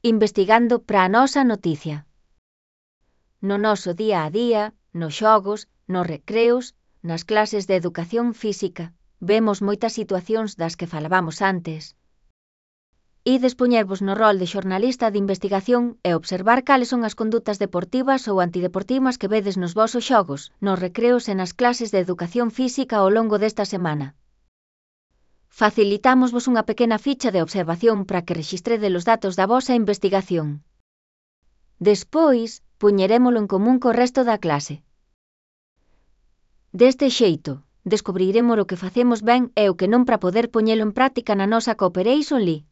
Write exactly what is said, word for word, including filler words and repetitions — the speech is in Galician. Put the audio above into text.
investigando para a nosa noticia. No noso día a día, nos xogos, nos recreos, nas clases de educación física, vemos moitas situacións das que falabamos antes. Ides poñervos no rol de xornalista de investigación e observar cales son as condutas deportivas ou antideportivas que vedes nos vosos xogos, nos recreos e nas clases de educación física ao longo desta semana. Facilitámosvos unha pequena ficha de observación para que rexistredes os datos da vosa investigación. Despois, poñerémolo en común co resto da clase. Deste xeito, descubriremos o que facemos ben e o que non para poder poñelo en práctica na nosa Cooperation League.